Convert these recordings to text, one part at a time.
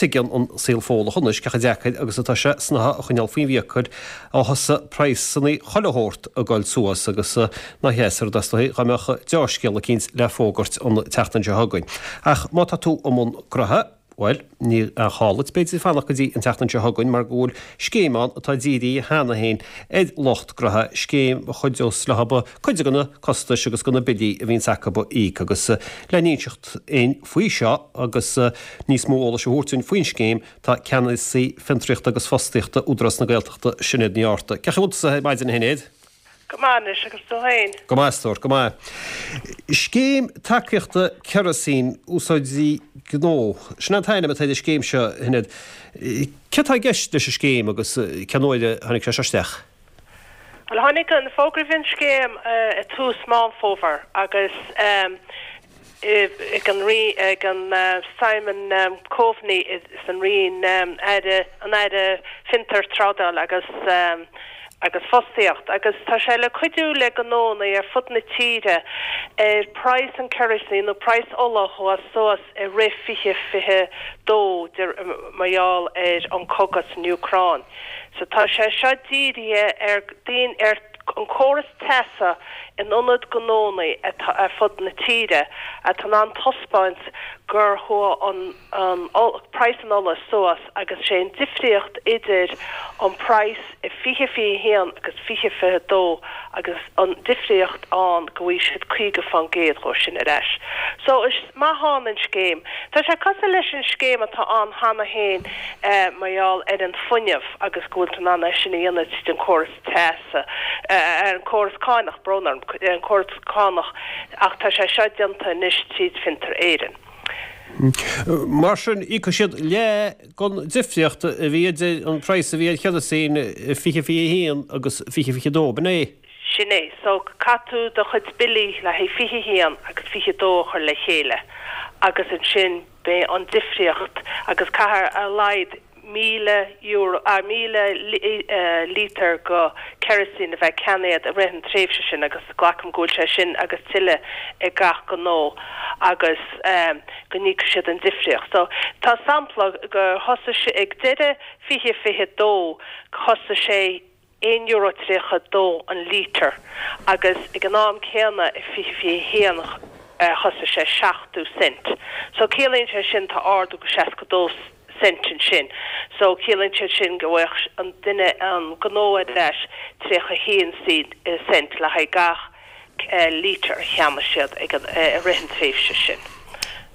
Tuigeann an saol Fódhlach anois cé chomh deacair agus atá sé snáithe a choinneáil faoin bhfiacail ó thosaigh praghsanna chuile shórt ag goil suas agus nach deas an rud é is dóichí dá mbeadh deá-scéal eicínt le fógairt an tseachtain seo chugainn. Ach má tá tú i mbun gnoithe, bhuel, níl aon chall duit b'fhéidir fanacht go dtí an tseachtain seo chugainn mar go bhfuil scéim ann atá dírithe cheana féin ar lucht gnoithe, scéim a chuideos leo cuid de na costais agus de na billí a bhíonns acu a íoc agus le n-inseacht dúinn faoi seo agus níos mó eolais a thabhairt dúinn faoin scéim tá Ceannasaí Fiontraíochta agus Fostaíochta Údarás na Gaeltachta, Sinéad Ní Fhátharta. Cén chaoi a bhfuil tusa ar maidin a Shinéad? Go maith anois, agus tú féin? Go maith, a stór, go maith. Scéim Tacaíochta Kerosene Úsáidí Gnó, sin an t-ainm atá ar an scéim seo, a Shinéad. Céard atá i gceist leis an scéim agus cén uair a tháinig sé seo isteach? Bhuel, tháinig an fógra faoin scéim i tús Meán Fómhair agus ag an Rí, ag an Simon Coveney san Roinn, Aire, an Aire Fiontar, Trádáil agus agus Fostaíocht agus tá sé le cuidiú le gnónna ar fud na tíre ar praghas an kerosene nó praghas ola a chuaigh suas i rith 2022 mar gheall ar an cogadh san Úcráin. So tá sé seo dírithe ar daoine ar an córas teasa in ionad gnónna atá ar fud na tíre atá in ann taispeáint gur chuaigh an praghas an ola suas agus sé an difríocht idir an praghas i 2021 agus 2022 agus an difríocht ann go bhfaighidh siad 50 fán gcéad dhó sin ar ais. So is maith ann an scéim. Tá sé cosúil leis an scéim atá ann cheana féin mar gheall ar an fuinneamh agus go bhfuil tú in ann é sin a dhéanamh tríd an córas teasa, ar an córas cánach, brón orm, ar an córas cánach ach tá sé seo déanta anois tríd Fiontar Éireann. Mar sin, íocfaidh siad leath den difríocht a bhí idir an praghas a bhí ar kerosene i 2021 agus 2022, b'in é? Sin é. So, caithfidh tú do chuid billí le haghaidh 21 agus 22 a chur le chéile agus ansin beidh an difríocht agus caithfidh ar a laghad €1,000, 1,000 lítear go kerosene a bheith ceannaithe i rith an tréimhse sin agus glacaim go bhfuil sé sin agus tuilleadh ag gach gnó agus go n-íocfaidh siad an difríocht. So tá sampla gur thosaigh sé ag deireadh 2022 thosaigh sé €1.32 an lítear agus ag an am céanna i 2021 thosaigh sé 70 cent. So ciallaíonn sé sin tá ardú go 62 cent ansin. So ciallaíonn sé sin go bhfaigheadh an duine, an gnó ar ais 31 cent le haghaidh gach lítear a cheannaigh siad ag an, i rith an tréimhse sin.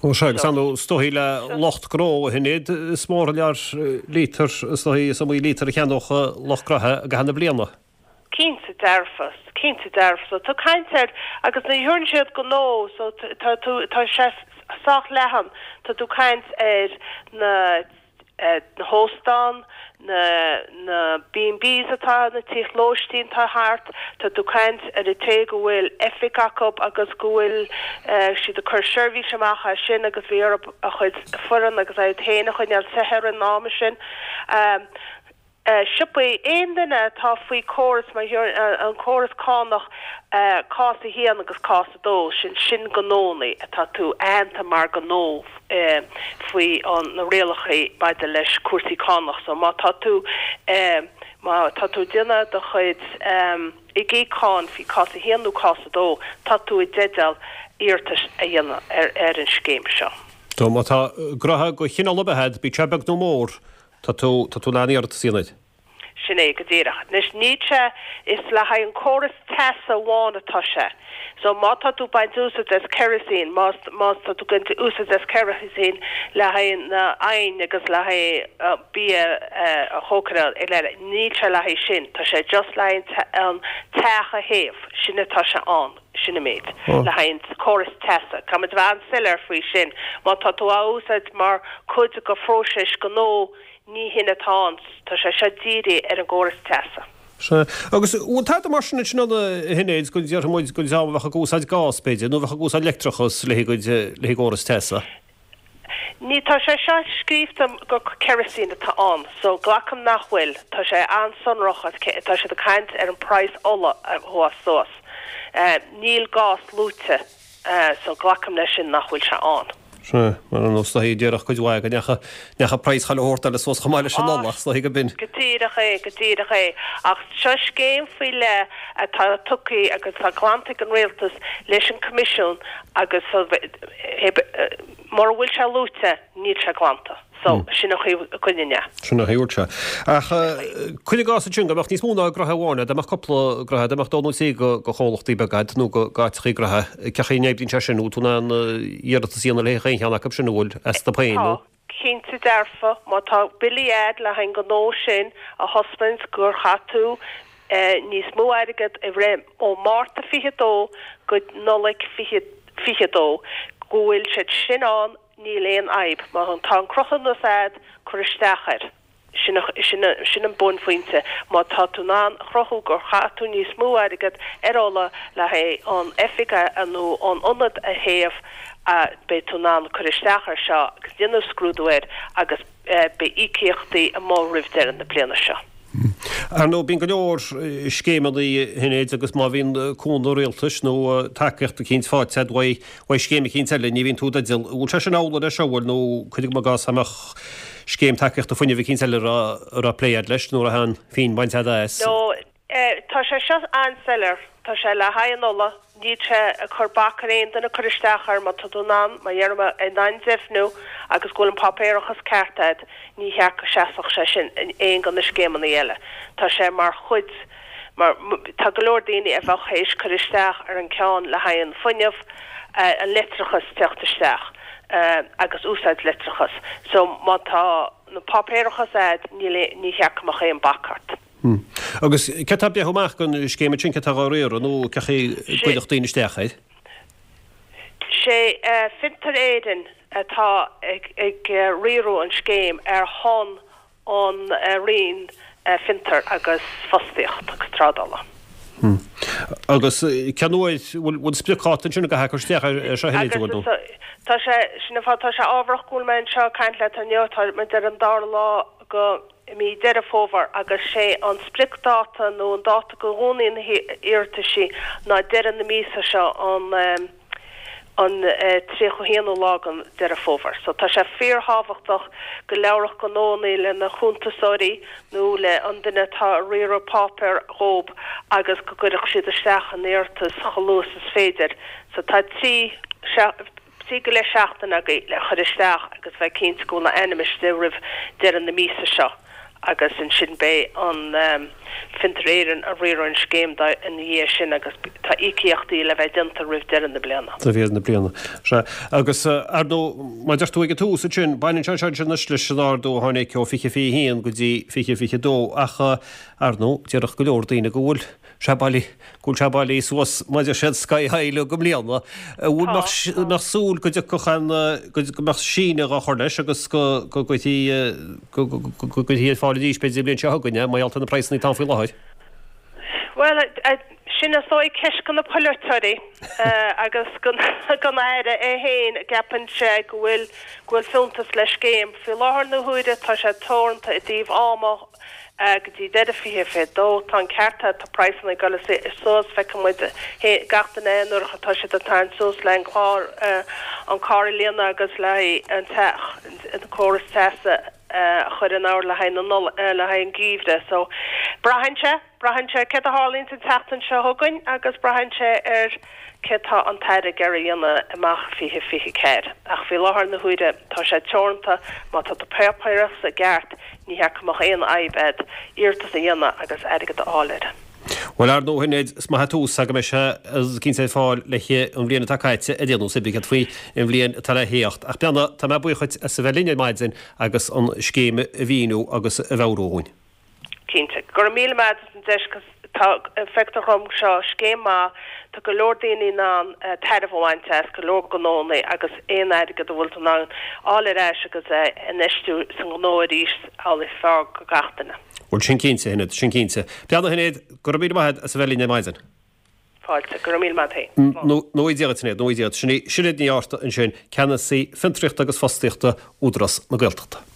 Ó sea, agus ar ndóigh, is dóichí le lucht gnó a Shinéad, is mór an lear lítear, is dóichí, is iomaí lítear a cheannódh lucht gnoithe i gcaitheamh na bliana. Cinnte dearfa, cinnte dearfa. So tá caint ar, agus nuair a deireann siad gnó, so tá tú, tá sé sách leathan, tá tú caint ar na, na hóstáin, na na B&Bs atá, na tithe lóistín atá thart, tá tú caint ar an té go bhfuil oifig acu agus go bhfuil siad ag cur seirbhís amach as sin agus bhí orthu a chuid foireann agus iad féin a choinneáil te ar an am sin. Siopaí, aon duine atá faoi córas mar an córas cánach cás 1 agus cás 2, sin sin gnónnaí atá tú aitheanta mar gnó faoi na rialacha maidir leis cúrsaí cánach so má tá tú má tá tú ag déanamh do chuid ag íoc cáin faoi cás 1 nó cás 2 tá tú i dteideal iarratas a dhéanamh ar ar an scéim seo. So má tá gnoithe de chineál ar bith agat, bíodh sé beag nó mór, Tá tú, tá tú in ann iarratas a dhéanamh air. Sin é go díreach. Anois, níl sé, is le haghaidh an córas teasa amháin atá sé. So, má tá tú ag baint úsaid as kerosene, más, más tá tú ag baint úsaid as kerosene le haghaidh na oigheann agus le haghaidh bia a chócaráil, níl sé le haghaidh sin. Tá sé just le haghaidh an teach a théamh. Sin atá sé ann. Sin an méid. Le haghaidh an córas teasa. Caithfimid a bheith an-soiléir faoi sin. Má tá tú á úsáid mar chuid de phróiseas gnó, ní hin atá ann. Tá sé seo dírithe ar an gcóras teasa. Sea. Agus an bhfuil tada mar sin ansin ann a Shinéad, go ndéarfaidh muid don dream a bheadh ag úsáid gás, b'fhéidir, nó a bheadh ag úsáid leictreachas le haghaidh a gcóras teasa? Ní, tá sé seo scríobhta gur kerosene atá ann, so glacaim nach bhfuil. Tá sé an-sonrach, tá siad ag caint ar an praghas ola a chuaigh suas. Níl gás luaite, so glacaim leis sin nach bhfuil sé ann. Sea, mar ar ndóigh is dóichí déarfadh cuid mhaith go ndeacha, ndeacha praghas chuile shórt eile suas chomh maith leis an ola, is dóichí go b'in. Go díreach é, go díreach é. Ach seo scéim faoi leith atá tugtha agus atá glanta ag an Rialtas leis an Coimisiún agus mura bhfuil sé luaite, níl sé glanta. So, sin an chaoi a gcoinníonn é. Sin an chaoi a bhfuil sé. Ach cuir i gcás ansin go mbeadh níos mó ná gnoithe amháin, dá mbeadh cúpla gnoithe, dá mbeadh dó nó trí de chomhlachtaí beaga agat nó de áiteachaí gnoithe, cén chaoi a n-oibríonn sé sin, bhfuil tú in ann iarratas a dhéanamh le haghaidh aon cheann acu sin, an bhfuil, astu féin nó? Tá, cinnte dearfa. Má tá billí a'd le haghaidh an gnó sin a thaispeáint gur chaith tú níos mó airgead i rith ó Márta 22 go Nollaig 2022, go bhfuil siad sin ann, Níl aon fhadhb. Má tá an cruthúnas a'd, cuir isteach air. Sin, sin, sin an bunphointe. Má tá tú in ann a chruthú gur chaith tú níos mó airgead ar ola le haghaidh an oifig a, nó an ionad a théamh, beidh tú in ann cur isteach air seo agus déanamh scrúdú air agus beidh íocaíochtaí amuigh roimh deireadh na bliana seo. Ar ndóigh, bíonn go leor scéimeanna a Shinéad agus má bhíonn cúnamh rialtais nó tacaíocht eicínt faighte agat uaidh scéim eicínt eile, ní bhíonn tú i dteideal. An bhfuil sé sin amhlaidh leis seo, an bhfuil, nó cuir i gcás dá mbeadh scéim tacaíochta fuinnimh eicínt eile a raibh plé agat leis nó a raibh aon phingin bainte agat as? No, tá sé seo an-soiléir. Tá sé le haghaidh an ola. Níl sé ag cur bac ar aon duine cur isteach air má tá tú in ann, mar a deirim, in ann deimhniú agus go bhfuil an páipéarachas ceart agat, ní cheart go seasfadh sé sin in aon de na scéimeanna eile. Tá sé mar chuid, mar tá go leor daoine a bheadh théis cur isteach ar an ceann le haghaidh an fuinneamh, an leictreachas teacht isteach agus úsáid leictreachas. So má tá na páipéarachas agat níl, ní cheart go mbeadh aon bac ort. Agus céard tá ag breith amach don scéim ansin, céard atá á riaradh nó cén chaoi a gcuirfeadh daoine isteach air? Sé Fiontar Éireann atá ag riaradh an scéim ar shon an Roinn Fiontar agus Fostaíocht agus Trádála. Agus cén uair, bhfuil spriocdháta ansin a gcaithfear cur isteach air seo a Shinéad, an bhfuil nó? Tá sé, sin an fáth, tá sé ábharach go bhfuil mé anseo ag caint leat inniu, tá muid ar an dara lá go mí Deireadh Fómhair agus sé an spriocdháta nó an dáta go dhúnfaidh na hiarrataisí ná deireadh na míosa seo an an 31ú lá den Deireadh Fómhair. So tá sé fíorthábhachtach go labharfadh gnóannaí lena chuntasóirí nó le an duine atá ag riaradh páipéir dhób agus go gcuirfeadh siad isteach an iarratas chomh luath is is féidir. So tá 3 3 go leith seachtain agaibh le chur isteach agus bheith cinnte go bhfuil a ainm istigh roimh deireadh na míosa seo agus ansin beidh an Fiontar Éireann ag riaradh an scéim ina dhiaidh sin agus tá íocaíochtaí le bheith déanta roimh deireadh na bliana. Roimh deireadh na bliana. Sea. Agus ar ndóigh, mar a deir tú ag an tús ansin, baineann sé seo ansin anois leis an ardú a tháinig ó 2021 go dtí 2022 ach ar ndóigh, déarfadh go leor daoine go bhfuil sé bailí, go bhfuil sé bailí suas mar a deir siad sky high le go mbliana. An bhfuil, mbeadh súil go dtiocfadh an, go mbeadh síneadh á chur leis agus go gcuirfí, go gcuirfí ar fáil arís b'fhéidir an bhliain seo chugainn é, mar gheall ar na praghsanna atá ann faoi láthair? Bhuel, sin is dóigh ceist go na polaiteoirí agus don Aire é féin, gceapann sé go bhfuil, go bhfuil fiúntas le scéim. Faoi láthair na huaire tá sé teoranta i dtaobh ama, Go dtí deireadh 2022. Tá an ceart agat, tá praghsanna ag dul suas, feiceann muid gach duine é nuair atá siad ag tarraingt suas le an clár, an carr a líonadh agus le haghaidh an teach, an córas teasa a chur in ord le haghaidh na Nollag, le haghaidh an geimhreadh. So, braitheann sé, braitheann sé céard a tharlaíonns an tseachtain seo chugainn agus braitheann sé ar céard tá an tAire ag iarraidh a dhéanamh amach 2024. Ach faoi láthair na huaire tá sé teoranta, má tá do pháipéarachas i gceart ní cheart go mbeadh aon fhadhb agat iarratas a dhéanamh agus airgead a fháil air. Bhuel, ar ndóigh, a Shinéad, is maith an tús go mbeidh sé cinnte ar fáil le haghaidh an bhliain atá caite ar aon nós, céard faoi an bhliain atá le theacht. Ach beannacht, tá mé buíoch dhuit as a bheith linn ar maidin agus an scéim a mhíniú agus a mheabhrú dhúinn. Cinnte. Go raibh míle maith agat as an deis 'cause tá, feictear dhom seo scéim maith, tá go leor daoine in ann tairbhe a bhaint as, go leor gnóannaí agus aon airgead a bhfuil tú in ann fháil ar ais agus é a infheistiú sa ngnó arís amhlaidh is fearr go gach duine. Bhuel sin cinnte, a Shinéad, sin cinnte. Beannacht, a Shinéad, go raibh míle maith agat as a bheith linn ar maidin. Fáilte. Go raibh míle maith agat féin. Slán. Nó Dia duit, a Shinéad, nó Dia duit. Sin í Sinéad Ní Fhátharta ansin, Ceannasaí Fiontraíochta agus Fostaíochta Údarás na Gaeltachta.